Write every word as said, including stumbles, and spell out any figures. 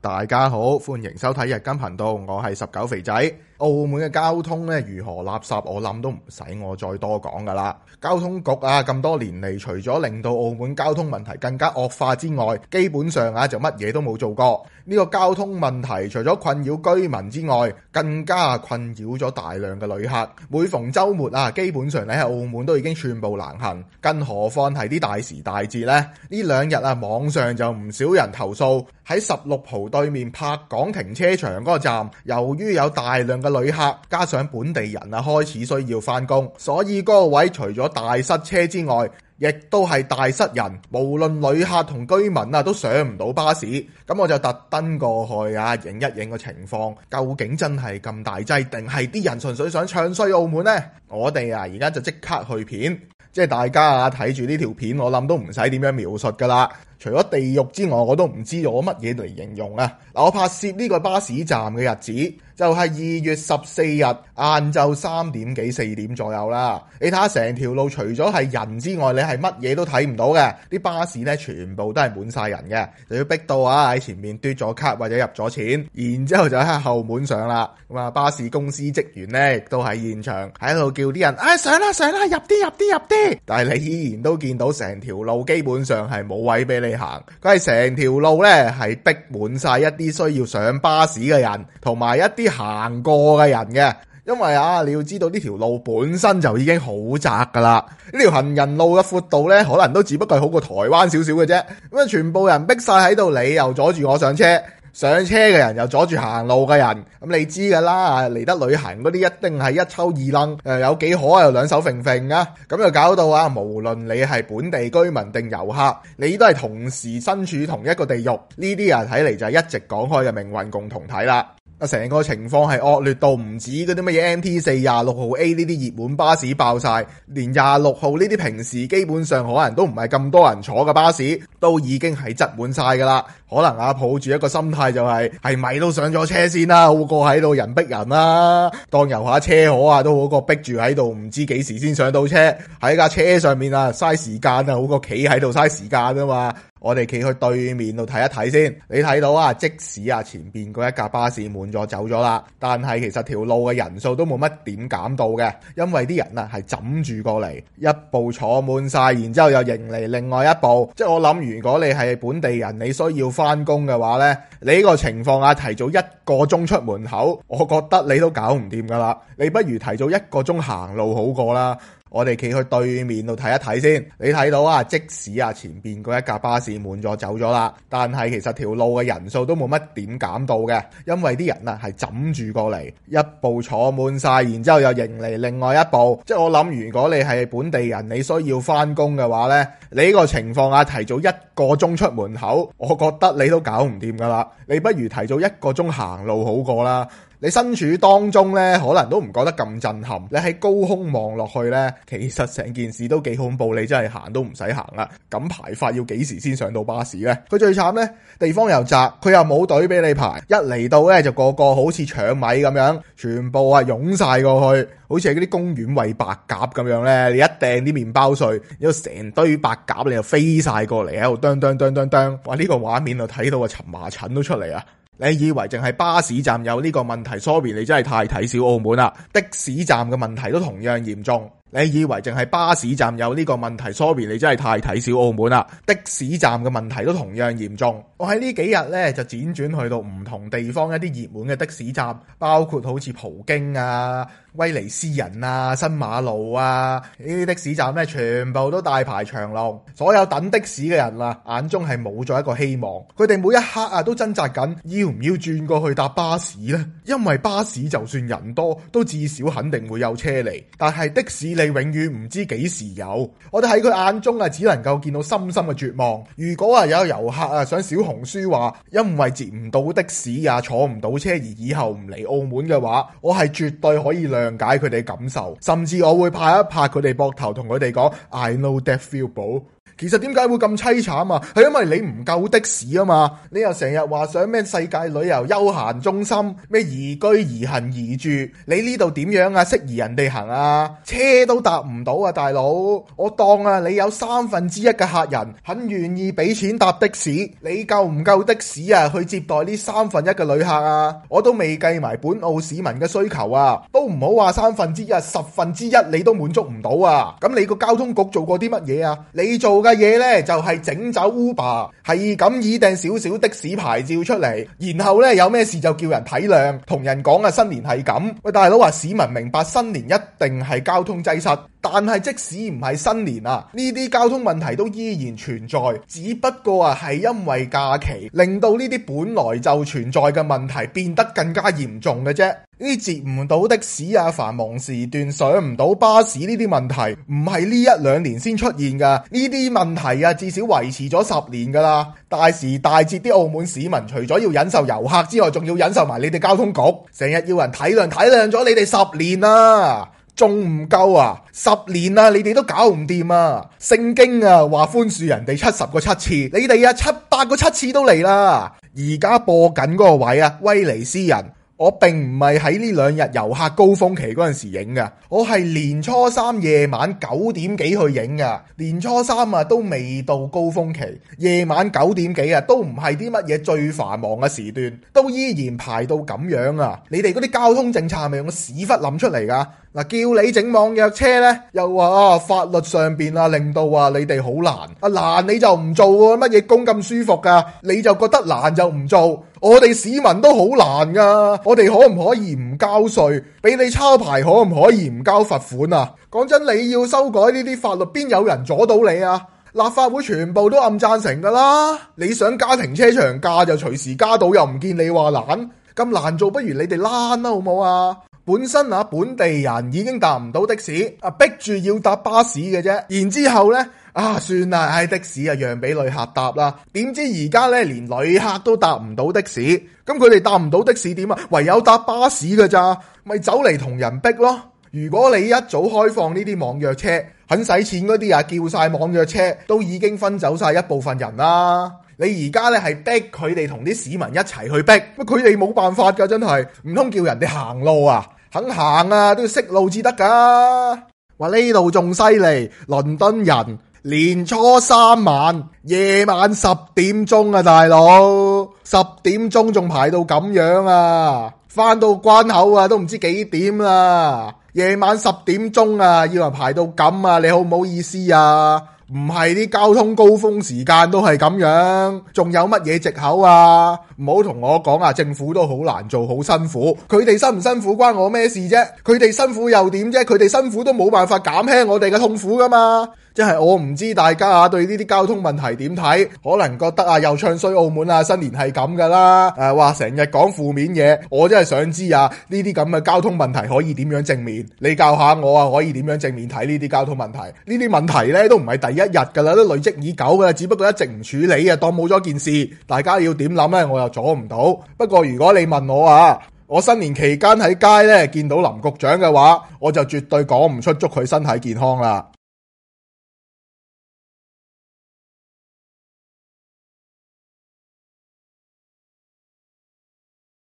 大家好，歡迎收睇日更頻道，我係十九肥仔。澳門嘅交通咧如何垃圾，我諗都唔使我再多講噶啦。交通局啊咁多年嚟，除咗令到澳門交通問題更加惡化之外，基本上啊就乜嘢都冇做過。呢個交通問題除咗困擾居民之外，更加困擾咗大量嘅旅客。每逢週末啊，基本上你喺澳門都已經寸步難行，更何況係啲大時大節呢？呢兩日啊，網上就唔少人投訴喺十六浦對面柏港停車場嗰個站，由於有大量嘅旅客加上本地人啊開始需要返工，所以嗰個位除咗大塞車之外，亦都係大塞人，無論旅客同居民啊都上唔到巴士。咁我就特登過去啊，影一影個情況，究竟真係咁大劑，定係啲人純粹想唱衰澳門呢？我哋啊而家就即刻去片，即係大家啊睇住呢條片，我諗都唔使點樣描述噶啦。除咗地獄之外，我都唔知用乜嘢嚟形容啊！嗱，我拍攝呢個巴士站嘅日子就係二月十四日晏晝三點幾四點左右啦。你睇下成條路，除咗係人之外，你係乜嘢都睇唔到嘅。啲巴士呢，全部都係滿晒人嘅，就要逼到啊喺前面嘟咗卡或者入咗錢，然之後就喺後門上啦。咁啊，巴士公司職員呢，亦都喺現場喺度叫啲人啊上啦上啦，入啲入啲入啲，但係你依然都見到成條路基本上係冇位俾你行，佢係成條路咧係逼滿晒一啲需要上巴士嘅人，同埋一啲行過嘅人嘅。因為啊，你要知道呢條路本身就已經好窄噶啦，呢條行人路嘅闊度咧，可能都只不過係好過台灣少少嘅啫。咁啊，全部人逼晒喺度，你又阻住我上車。上車嘅人又阻住行路嘅人，咁你知噶啦，嚟得旅行嗰啲一定係一抽二楞，誒有幾可又兩手揈揈啊，咁就搞到啊，無論你係本地居民定遊客，你都係同時身處同一個地獄。呢啲啊睇嚟就係一直講開嘅命運共同體啦。啊，成個情況係惡劣到唔止嗰啲乜嘢 M T 四、廿六號 A 呢啲熱門巴士爆晒，連廿六號呢啲平時基本上可能都唔係咁多人坐嘅巴士，都已經係擠滿晒噶啦。可能啊抱住一個心態就係係咪都上咗車先啦，好過喺度人逼人啦，當遊下車河啊都好過逼住喺度唔知幾時先上到車，喺架車上面啊嘥時間啊，好過企喺度嘥時間啊嘛。我哋企去對面度睇一睇先，你睇到啊，即使啊前邊嗰一架巴士滿咗走咗啦，但係其實條路嘅人數都冇乜點減到嘅，因為啲人啊係枕住過嚟，一部坐滿晒，然之後又迎嚟另外一部。即係我諗，如果你係本地人，你需要翻工嘅話呢，你呢個情況啊提早一個鐘出門口，我覺得你都搞唔掂噶啦，你不如提早一個鐘行路好過啦。我哋企去對面度睇一睇先，你睇到啊，即使啊前邊嗰一架巴士滿咗走咗啦，但係其實條路嘅人數都冇乜點減到嘅，因為啲人啊係枕住過嚟，一部坐滿晒，然之後又迎嚟另外一部。即係我諗，如果你係本地人，你需要翻工嘅話呢，你呢個情況啊提早一個鐘出門口，我覺得你都搞唔掂噶啦，你不如提早一個鐘行路好過啦。你身處當中呢，可能都唔覺得咁震撼。你喺高空望落去呢，其實成件事都幾恐怖。你真係行都唔使行啦。咁排法要幾時先上到巴士呢？佢最慘呢，地方又窄，佢又冇隊俾你排。一嚟到呢，就個個好似搶米咁樣，全部啊湧晒過去，好似係嗰啲公園餵白鴿咁樣呢。你一掟啲麵包碎，有成堆白鴿你就飛晒過嚟喺度啄啄啄啄啄。哇！呢個畫面就睇到啊，蕁麻疹都出嚟啊！你以為淨係巴士站有呢個問題 ？Sorry， 你真係太睇小澳門啦！的士站嘅問題都同樣嚴重。你以為淨係巴士站有呢個問題 ？Sorry， 你真係太睇小澳門啦！的士站嘅問題都同樣嚴重。我喺呢幾日呢，就輾轉去到唔同地方一啲熱門嘅的，的士站，包括好似葡京啊、威尼斯人啊、新馬路啊呢啲的士站呢，全部都大排長龍。所有等的士嘅人啊，眼中係冇咗一個希望。佢哋每一刻啊都掙扎緊，要唔要轉過去搭巴士呢？因為巴士就算人多，都至少肯定會有車嚟。但係的士你永遠唔知幾時有。我哋喺佢眼中啊，只能夠見到深深嘅絕望。如果啊有遊客啊想小紅書話，因為接唔到的士啊，坐唔到車而以後唔嚟澳門嘅話，我係絕對可以諒解佢哋感受，甚至我會拍一拍佢哋膊頭，同佢哋講 I know that feel bro。其實點解會咁淒慘啊？係因為你唔夠的士啊嘛！你又成日話想咩世界旅遊休閒中心，咩宜居宜行宜住，你呢度點樣啊？適宜人哋行啊？車都搭唔到啊，大佬！我當啊，你有三分之一嘅客人肯願意俾錢搭的士，你夠唔夠的士啊？去接待呢三分一嘅旅客啊？我都未計埋本澳市民嘅需求啊，都唔好話三分之一，十分之一你都滿足唔到啊！咁你個交通局做過啲乜嘢啊？你做嘅嘢呢，就係整走 Uber，係咁擬訂少少的士牌照出嚟，然後呢，有咩事就叫人體諒，同人講啊新年係咁。喂，大佬話市民明白新年一定係交通擠塞，但係即使唔係新年啊，呢啲交通問題都依然存在，只不過啊係因為假期令到呢啲本來就存在嘅問題變得更加嚴重嘅啫。呢啲接唔到的士啊，繁忙時段上唔到巴士呢啲問題，唔係呢一兩年先出現噶，呢啲問題啊至少維持咗十年噶啦。大時大節啲澳門市民除咗要忍受遊客之外，仲要忍受埋你哋交通局，成日要人體諒，體諒咗你哋十年啦，仲唔夠啊？十年啊，你哋都搞唔掂啊！聖經啊話寬恕人哋七十個七次，你哋啊七八個七次都嚟啦。而家播緊嗰個位啊，威尼斯人。我並唔係喺呢兩日遊客高峰期嗰陣時影噶，我係年初三夜晚九點幾去影噶。年初三啊都未到高峰期，夜晚九點幾啊都唔係啲乜嘢最繁忙嘅時段，都依然排到咁樣啊！你哋嗰啲交通政策係咪用個屎忽諗出嚟噶？嗱，叫你整網約車呢，又話啊法律上邊啊令到啊你哋好難，啊難你就唔做喎，乜嘢工咁舒服噶？你就覺得難就唔做，我哋市民都好難噶，我哋可唔可以唔交稅？俾你抄牌可唔可以唔交罰款啊？講真，你要修改呢啲法律，邊有人阻到你啊？立法會全部都暗贊成噶啦，你想加停車場價就隨時加到，又唔見你話難，咁難做，不如你哋躝啦好唔好啊？本身啊本地人已經搭唔到的士，啊逼住要搭巴士嘅啫，然之後呢啊算啦，唉的士啊讓俾旅客搭啦，點知而家呢連旅客都搭唔到的士，咁佢哋搭唔到的士點啊？唯有搭巴士㗎咋，咪走嚟同人逼咯。如果你一早開放呢啲網約車，肯使錢嗰啲啊叫晒網約車，都已經分走晒一部分人啦。你而家咧係逼佢哋同啲市民一齊去逼，乜佢哋冇辦法噶，真係唔通叫人哋行路啊？肯行啊都要識路至得噶。話呢度仲犀利，倫敦人年初三晚夜晚十點鐘啊，大佬十點鐘仲排到咁樣啊，翻到關口啊都唔知幾點啦。夜晚十點鐘啊，要人排到咁啊，你好唔好意思啊？唔係啲交通高峰時間都係咁樣，仲有乜嘢藉口啊？唔好同我講啊，政府都好難做，好辛苦。佢哋辛唔辛苦關我咩事啫？佢哋辛苦又點啫？佢哋辛苦都冇辦法減輕我哋嘅痛苦噶嘛。即係我唔知大家啊對呢啲交通問題點睇，可能覺得啊又唱衰澳門啊，新年係咁噶啦，誒話成日講負面嘢，我真係想知啊呢啲咁嘅交通問題可以點樣正面？你教下我啊，可以點樣正面睇呢啲交通問題？呢啲問題呢都唔係第一日噶啦，都累積已久噶啦，只不過一直唔處理啊，當冇咗件事。大家要點諗呢？我又阻唔到。不過如果你問我啊，我新年期間喺街呢見到林局長嘅話，我就絕對講唔出祝佢身體健康啦。